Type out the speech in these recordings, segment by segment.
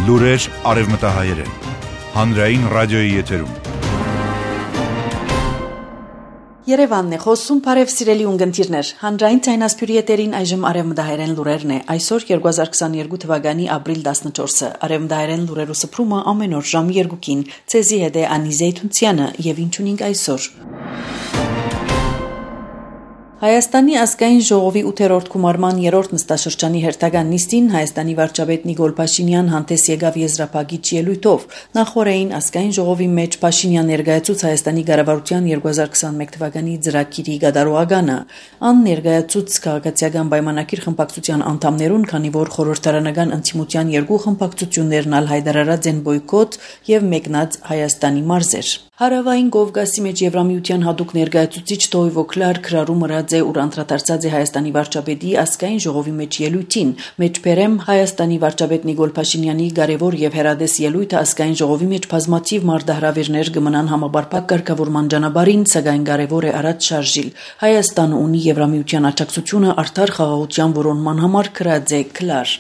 Լուրեր արևմտահայերեն, հանրային ռադիոյի եթերում։ Երևանն է խոսում, բարև սիրելի ունգընտիրներ, հանրային ցայնասպյուրի եթերին այժմ արևմտահայերեն լուրերն է, այսօր 2022 թվականի ապրիլ 14-ը, արևմտահայերեն լուրերու սփռումը ամեն օր ժամի 2-ին, ցեզի հետ է Անի Զեյթունցյանը եւ ինչ ունենք այսօր։ Հայաստանի ազգային ժողովի 8-րդ գումարման 3-րդ նստաշրջանի հերթական նիստին Հայաստանի վարչապետ Նիկոլ Փաշինյան հանդես եկավ եզրափակիչ ելույթով։ Նախորդին ազգային ժողովի մեջ Փաշինյան ներկայացուց Հայաստանի կառավարության 2021 թվականի ծրագիրի գդարողականը։ Ան ներկայացուց քաղաքացիական պայմանագիր խմբակցության անդամներուն, քանի որ խորհրդարանական ընդդիմության երկու խմբակցություններն ալ հայտարարած են բոյկոտ եւ մեկնած Հայաստանի մարզեր։ Հարավային Կովկասի մեջ Եվրամիության հատուկ ներկայացուցիչ Տոյվո Կլարկ հրարում ըրած է ուր անդրադարձած է Հայաստանի վարչապետի ազգային ժողովի մեջ ելույթին։ Մեջբերեմ Հայաստանի վարչապետ Նիկոլ Փաշինյանի կարևոր եւ հերադես ելույթը ազգային ժողովի մեջ բազմաթիվ մարտահրավերներ կմնան համապարփակ կարգավորման ճանապարհին, սակայն կարևոր է առաջ շարժիլ։ Հայաստանը ունի Եվրամիության աջակցությունը արդար խաղաղության որոնման համար գրած է Կլար։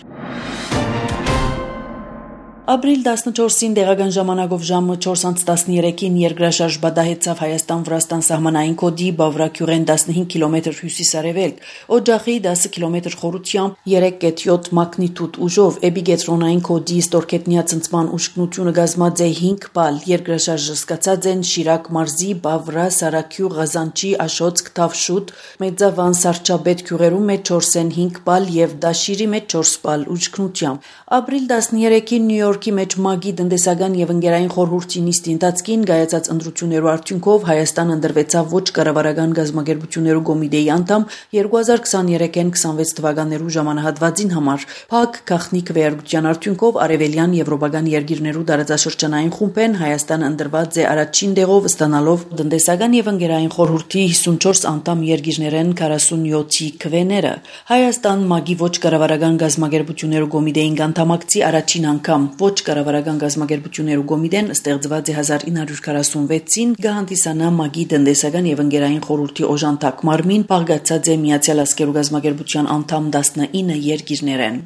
Ապրիլ 14-ին տեղական ժամանակով ժամը 4:13-ին երկրաշարժ բադահեցավ Հայաստան-Վրաստան սահմանային կոդի Բավրաքյուրեն 15 կիլոմետր հյուսիսարևելք, Օջախի 10 կիլոմետր խորությամբ 3.7 մագնիտուդ ուժով, էպիկենտրոնային կոդի ստորգետնյա ցնցման ուժգնությունը կազմած է 5 բալ, երկրաշարժը սկսած են Շիրակ մարզի, Բավրա, Սարաքյուղ, Ղազանչի, Աշոցք, Թավշուտ, Մեծավան, Սարչաբեդ գյուղերում մեջ 4.5 բալ եւ Դաշիրի մեջ 4 բալ ուժգնությամբ։ Ապրիլ 13-ին Նյու Յորքի մեջ ՄԱԳ-ի տնտեսական եւ ընկերային խորհրդի նիստի ընթացքին կայացած ընտրություններու արդյունքով Հայաստան ընտրվեցավ ոչ կառավարական գազམ་ագերբություններու կոմիտեի անդամ 2023-ին 26 թվականներու ժամանահատվածին համար։ Փակ գաղտնիք վեհերգության արդյունքով արևելյան եվրոպական երկիրներու տարածաշրջանային խումբեն Հայաստան ընտրված է առաջին տեղով ստանալով տնտեսական եւ ընկերային խորհրդի 54 անդամ երկիրներեն 47-ի քվեները։ Հայաստան ՄԱԳ-ի ոչ կառավարական գազམ་ագերբություններու կոմիտեին անդամակցի առաջին անգամ ոչ կառավարական գազམ་ագերբություններու կոմիտեն ստեղծված է 1946-ին գահանտիսանա ՄԱԳ-ի տնտեսական եւ ընկերային խորհրդի օժանդակ մարմին բաղկացած է Միացյալ Ազգերու գազམ་ագերբության անդամ 19 երկիրներեն։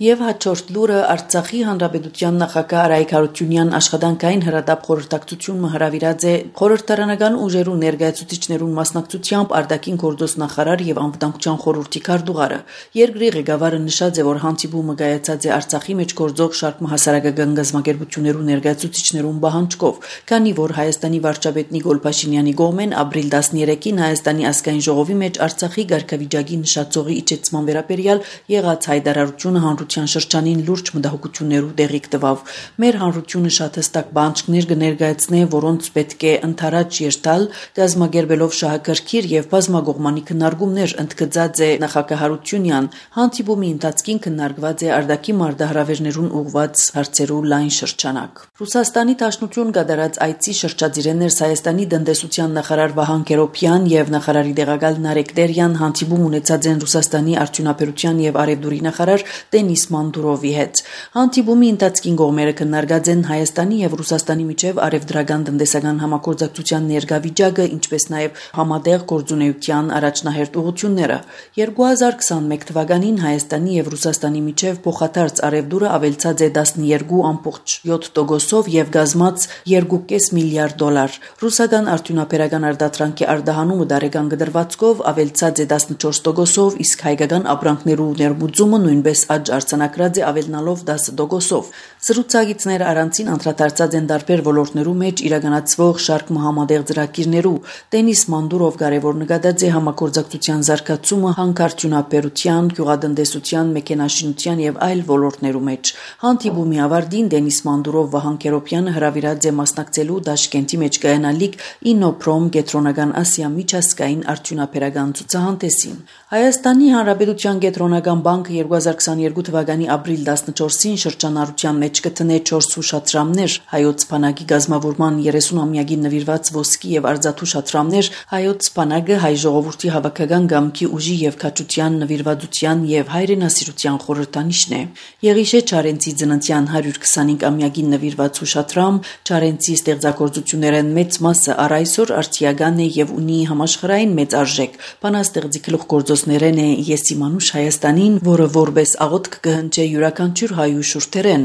Եվ հաջորդ լուրը Արցախի հանրապետության նախագահ Արայիկ Հարությունյան աշխատանքային հրատապ խորհրդակցությունը հրավիրած է խորհրդարանական ուժերու ներկայացուցիչներուն մասնակցությամբ արտաքին գործոս նախարար եւ անվտանգության խորհրդի քարտուղարը։ Երկրի ղեկավարը նշած է, որ հանդիպումը կայացած է Արցախի մեջ գործող շարք հասարակական գազམ་ագերբություններու ներկայացուցիչներուն պահանջկով, քանի որ Հայաստանի վարչապետ Նիկոլ Փաշինյանի կողմեն ապրիլ 13-ին Հայաստանի ազգային ժողովի մեջ Արցախի ղարքավիճակի նշածողի իջեցման վերաբերյալ եղած հայտարարությունը հանրության շրջանին լուրջ մտահոգություններու տեղիք տվավ։ Մեր հանրությունը շատ հստակ բանջկներ կներկայացնե, որոնց պետք է ընդառաջ երթալ, գազམ་ագերբելով շահագրգիռ եւ բազմակողմանի քննարկումներ, ընդգծած է նախագահ Հարությունյան։ Հանդիպումի ընթացքին քննարկված է արտաքին մարտահրավերներուն ուղղված հարցերու լայն շրջանակ։ Ռուսաստանի Դաշնություն կատարած այցի շրջադիրներս Հայաստանի տնտեսության նախարար Վահան Կերոբյան եւ նախարարի տեղակալ Նարեկ Տերյան հանդիպում ունեցած են Ռուսաստանի արդյունաբերության եւ արևդուրի նախարար Դենիս Մանդուրովի հետ։ Հանդիպումի ընթացքին կողմերը քննարկած են Հայաստանի եւ Ռուսաստանի միջև արևդրական տնտեսական համագործակցության ներկա վիճակը, ինչպես նաեւ համատեղ գործունեության առաջնահերթ ուղղությունները։ 2021 թվականին Հայաստանի եւ Ռուսաստանի միջև փոխադարձ արևդուրը ավելցած է 12.7%-ով եւ գազմած 2.5 միլիարդ դոլար։ Ռուսական արդյունաբերական արտադրանքի արտահանումը դարեկան գդրվածքով ավելցած է 14%-ով, իսկ հայկական ապրանքներու ներմուծումը նույնպես աճ արձանագրած է ավելնալով 10%-ով։ Զրուցակիցները առանցին անդրադարձած են տարբեր ոլորտներու մեջ իրականացվող շարք համատեղ ծրագիրներու։ Դենիս Մանդուրով կարևոր նկատած է համագործակցության զարգացումը հանքարդյունաբերության, գյուղատնտեսության, մեքենաշինության եւ այլ ոլորտներու մեջ։ Հանդիպումի ավարտին Դենիս Մանդուրով Վահան Կերոբյանը հրավիրած է մասնակցելու Դաշկենտի մեջ կայանալիք Ինոպրոմ Կենտրոնական Ասիա միջազգային արդյունաբերական ցուցահանդեսին։ Հայաստանի Հանրապետության Կենտրոնական բանկը 2022 թվականի ապրիլ 14-ին շրջանառության մեջ կտնե 4 հուշադրամներ, հայոց բանակի գազམ་ավորման 30-ամյակին նվիրված ոսկի եւ արձատու շադրամներ, հայոց բանակը հայ ժողովրդի հավաքական գամքի ուժի եւ քաջության նվիրվածության եւ հայրենասիրության խորհրդանիշն է։ Եղիշե Չարենցի ծննդյան 125-ամյակին նվիրված հուշադրամ, Չարենցի ստեղծագործություններն մեծ մասը առ այսօր արդիական է եւ ունի համաշխարհային մեծ արժեք։ Բանաստեղծի գլուխգործոցներն է Եսիմանուշ Հայաստանին, որը որպես աղոթք կհնչե յուրաքանչյուր հայու շուրթերեն,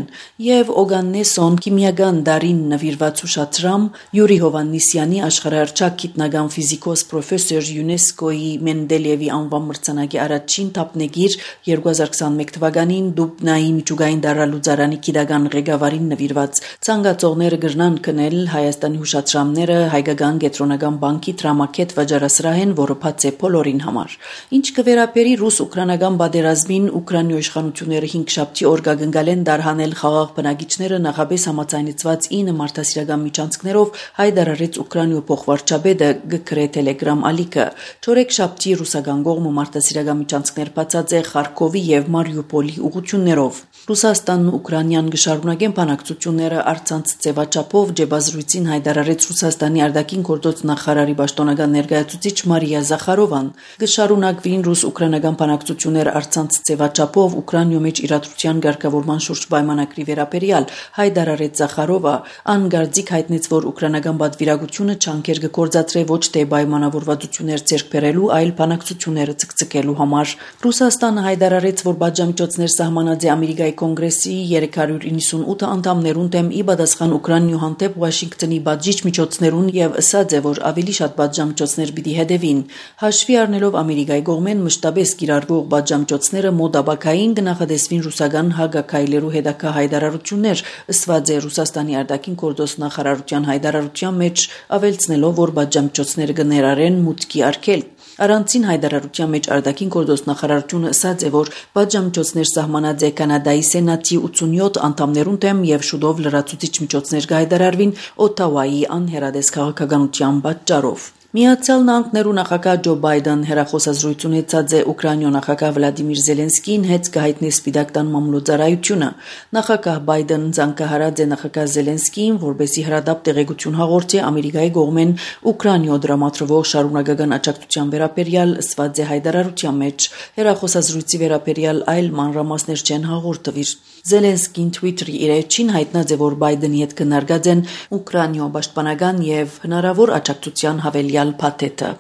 եւ Օգաննեսոն քիմիական դարին նվիրված հուշադրամ Յուրի Հովաննիսյանի աշխարհահռչակ գիտնական ֆիզիկոս պրոֆեսոր ՅՈՒՆԵՍԿՕ-ի Մենդելեևի անվան մրցանակի առաջին թափնեգիր 2021 թվականին Դուբնայի միջուկային դարալուծարանի գիտական ղեկավարին նվիրված ցանկացողները կգրնան քնել Հայաստանի հուշադրամները հայկական կենտրոնական բանկի դրամակետ վաճառասրահեն, որը բաց է բոլորին համար։ Ինչ կվերապերի ռուս-ուկրաինական պատերազմին, Ուկրաինայի իշխանությունները 5 շաբթի օր կգնկալեն դարհանել խաղաղ բնակիչները նախապես համաձայնեցված 9 մարդասիրական միջանցքներով, հայտարարեց Ուկրաինայի փոխվարչապետը գկրե Telegram ալիքը։ Չորեքշաբթի ռուսական կողմը մարդասիրական միջանցքներ բացած է Խարկովի եւ Մարիուպոլի ուղղություններով։ Ռուսաստանն ու Ուկրաինան կշարունակեն բանակցությունները առցանց ձևաչափով, Ջեբազրույցին հայտարարեց Ռուսաստանի արտաքին գործոց նախարարի պաշտոնական ներկայացուցիչ Մարիա Զախարովան։ Կշարունակվին ռուս-ուկրաինական բանակցությունները առցանց ձևաչափով Ուկրաինայի մեջ իրադրության ղեկավարման շուրջ պայմանագրի վերաբերյալ, հայտարարեց Զախարովը, անգարձիկ հայտնեց, որ ուկրաինական պատվիրակությունը չանքեր կգործադրե ոչ թե պայմանավորվածություններ ձեռք բերելու, այլ բանակցությունները ցկցկելու համար։ Ռուսաստանը հայտարարեց, որ պատժամիջոցներ սահմանած է Ամերիկայի կոնգրեսի 398 անդամներուն դեմ ի պատասխան Ուկրաինայի հանդեպ Վաշինգտոնի բաժիչ միջոցներուն եւ ասաց է, որ ավելի շատ պատժամիջոցներ պիտի հետևին։ Հաշվի առնելով Ամերիկայի կողմեն մշտապես կիրառվող պատժամիջոցները մոդաբակային կնախադեсվին ռուսական հագակայլերու հետագա հայտարարություններ, ըսված է Ռուսաստանի արտաքին գործոց նախարարության հայտարարության մեջ, ավելցնելով, որ պատժամիջոցները կներառեն մուտքի արգելք։ Առանցին հայտարարության մեջ արտաքին գործոց նախարարությունը ասաց է, որ պատժամիջոցներ սահմանած է Կանադայի սենատի 87 անդամներուն դեմ եւ շուտով լրացուցիչ միջոցներ կհայտարարվին Օտավայի անհերադես քաղաքականության պատճառով։ Միացյալ Նահանգներու նախագահ Ջո Բայդեն հերախոսազրույց ունեցած է Ուկրաինայի նախագահ Վլադիմիր Զելենսկին հետ կհայտնի Սպիտակ տան մամուլոծարայությունը։ Նախագահ Բայդեն ցանկահարած է նախագահ Զելենսկին, որպեսզի հրադապ տեղեկություն հաղորդի Ամերիկայի կողմեն Ուկրաինայ դրամատրվող շարունակական աջակցության վերաբերյալ, ըսված է հայտարարության մեջ։ Հերախոսազրույցի վերաբերյալ այլ մանրամասներ չեն հաղորդվիր։ Զելենսկին Twitter-ի իր էջին հայտնած է, որ Բայդենի հետ քննարկած են Ուկրաինայի պաշտպանական եւ հնարավոր աջակցության հավելյալ փաթեթը։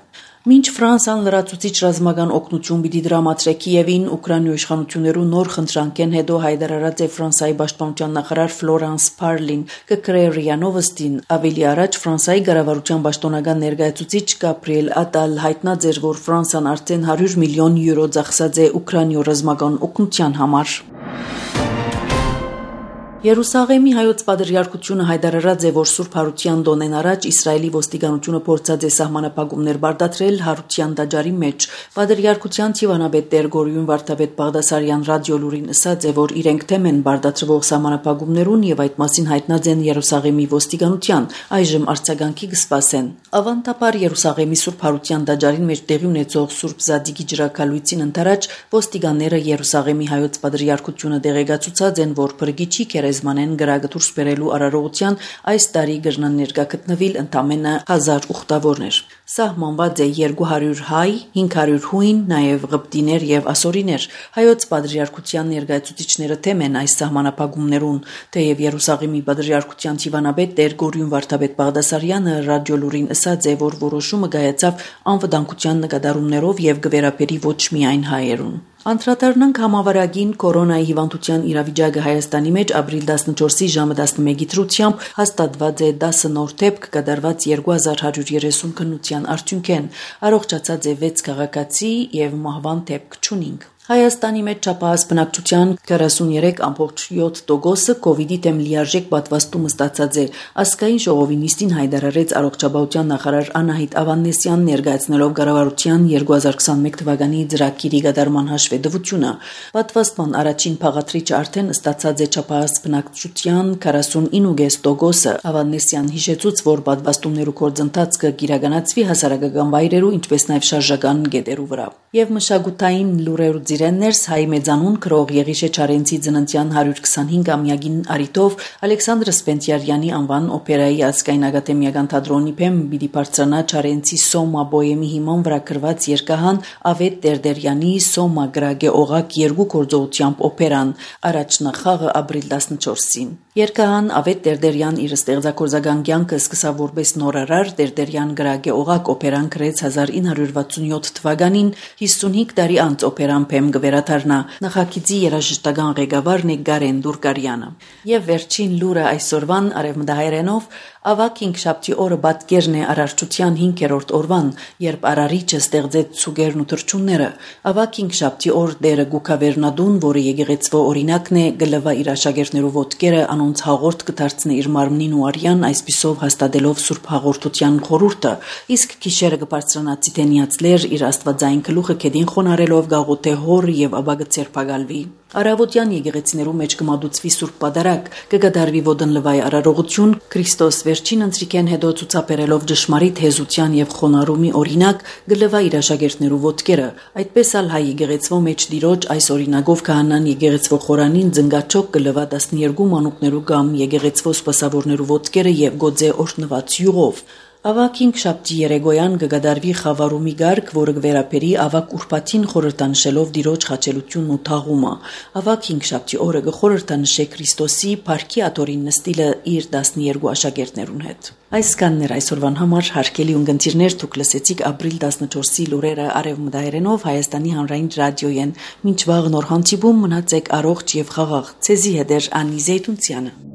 Մինչ Ֆրանսիան լրացուցիչ ռազմական օգնություն պիտի դրամատրե Կիևին, Ուկրաինայի իշխանություններու նոր խնդրանքեն հետո հայտարարած է Ֆրանսիայի պաշտպանության նախարար Ֆլորանս Փարլին, կկրե ՌԻԱ Նովոստին։ Ավելի առաջ Ֆրանսիայի կառավարության պաշտոնական ներկայացուցիչ Գաբրիել Ատալ հայտնած էր, որ Ֆրանսիան արդեն 100 միլիոն յուրո ծախսած է Ուկրաինայի ռազմական օգնության համար։ Երուսաղեմի հայոց պատրիարքությունը հայտարարած է, որ Սուրբ Հարության տոնեն առաջ Իսրայելի ոստիկանությունը փորձած է սահմանապահումներ բարդացրել Հարության տաճարի մեջ։ Պատրիարքության Տիվանաբեդ Տեր Գորյուն Վարդապետ Բաղդասարյան ռադիոլուրին ասաց է, որ իրենք թեմ են բարդացրվող սահմանապահումներուն եւ այդ մասին հայտնած են Երուսաղեմի ոստիկանության, այժմ արձագանքի կսպասեն։ Ավանդաբար Երուսաղեմի Սուրբ Հարության տաճարին մեջ տեղի ունեցող Սուրբ Զադիկի ջրակալույցին ընթരാճ ոստիկանները Երուսաղեմի հայոց պատրիարքությունը դեղեկացուցած են, որ փրկիչի Զմանեն գրագը դուրս բերելու արարողության այս տարի կրնան ներկա գտնվել ընդամենը 1000 ուխտավորներ։ Սահմանված է 200 հայ, 500 հույն, նաև ղպտիներ եւ ասորիներ։ Հայոց պատրիարքության ներկայացուցիչները թեմ են այս սահմանապահումներուն, թեև Երուսաղեմի պատրիարքության Տիվանաբեդ Տեր Գորյուն Վարդապետ Բաղդասարյանը ռադիոլուրին ասաց է, որ որոշումը կայացավ անվտանգության նկատառումներով եւ կվերապերի ոչ միայն հայերուն։ Անդրադառնանք համավարակին կորոնայի հիվանդության իրավիճակը Հայաստանի մեջ ապրիլ 14-ի ժամը 11-ի դրությամբ հաստատված է 10 նոր դեպք կատարված 2130 քննության արդյունքեն, առողջացած է 6 քաղաքացի եւ մահվան դեպք չունինք։ Հայաստանի մեջ չափահաս բնակչության 43.7%-ը կովիդի դեմ լիարժեք պատվաստումը ստացած է։ Ազգային ժողովի նիստին հայտարարեց առողջապահության նախարար Անահիտ Ավանեսյանն ներկայացնելով կառավարության 2021 թվականի ծրագիրի կատարման հաշվետվությունը։ Պատվաստման առաջին փաղաթրիչը արդեն ստացած է չափահաս բնակչության 49.5%-ը։ Ավանեսյան հիշեցուց, որ պատվաստումներու գործընթացը կիրականացվի հասարակական վայրերու, ինչպես նաև շարժական գետերու վրա։ Եվ մշակութային լուրերու գործիրեններս հայ մեծանուն քրող Եղիշե Չարենցի ծննդյան 125-ամյակին արիտով Ալեքսանդր Սպենտիարյանի անվան օպերայի ազգային ակադեմիական թատրոնի փեմ պիտի բարձրանա Չարենցի Սոմա բոյեմի հիման վրա գրված երկահան Ավետ Տերտերյանի Սոմա գրագե օղակ երկու գործողությամբ օպերան առաջնախաղը ապրիլ 14-ին։ Երկահան Ավետ Տերտերյան իր ստեղծագործական կյանքը սկսավ որպես նորարար Տերտերյան գրագե օղակ օպերան գրեց 1967 թվականին 55 տարի անց օպերան փեմ գվերաթարնա նախագիծի երաժշտական ղեկավարն է Գարեն Դուրկարյանը եւ վերջին լուրը այսօրվան արևմտահայերենով ավակ 5-շաբթի օրը պատկերն է արարչության 5-րդ օրվան երբ արարիչը ստեղծեց ցուգերն ու թրջունները ավակ 5-շաբթի օր դերը Գուկավերնադուն որը եկեղեցվո օրինակն է գլվա իր աշակերտներու ոտքերը անոնց հաղորդ կդարձնի իր մարմնին ու արյան այսպիսով հաստատելով Սուրբ Հաղորդության խորհուրդը իսկ գիշերը կբարձրանա Ցիտենիացլեր իր աստվածային գլուխը քեդին խոնարելով գաղութե հոր եւ աբագը ցերպագալվի Արավոտյան եկեղեցիներու մեջ կմատուցվի Սուրբ Պատարագ կգադարվի ոդնլվայ արարողություն Քրիստոս վերջին ընտրիկեն հետո ցուցաբերելով ճշմարիտ հեզության եւ խոնարհումի օրինակ գլվա իր աշակերտներու ոտքերը այդպես ալ հայ եկեղեցվո մեջ դիրոջ այս օրինակով քահանան եկեղեցվո խորանին զնգաչոք գլվա 12 մանուկներու գամ եկեղեցվո սպասավորներու ոտքերը եւ գոձե օրհնված յուղով Ավակ 5-շաբթի երեգոյան կգադարվի խավարումի գարկ, որը կվերապերի ավակ ուրբաթին խորհրդանշելով դիրոջ խաչելությունն ու թաղումը։ Ավակ 5-շաբթի օրը կխորհրդանշե Քրիստոսի Փարքի աթորին նստիլը իր 12 աշակերտներուն հետ։ Այս կաններ այսօրվան համար հարգելի ունգընտիրներ դուք լսեցիք ապրիլ 14-ի լուրերը արևմտահայերենով Հայաստանի հանրային ռադիոյեն։ Մինչ վաղ նոր հանդիպում մնացեք առողջ եւ խաղաղ։ Ցեզի հետ Անի Զեյթունցյանը։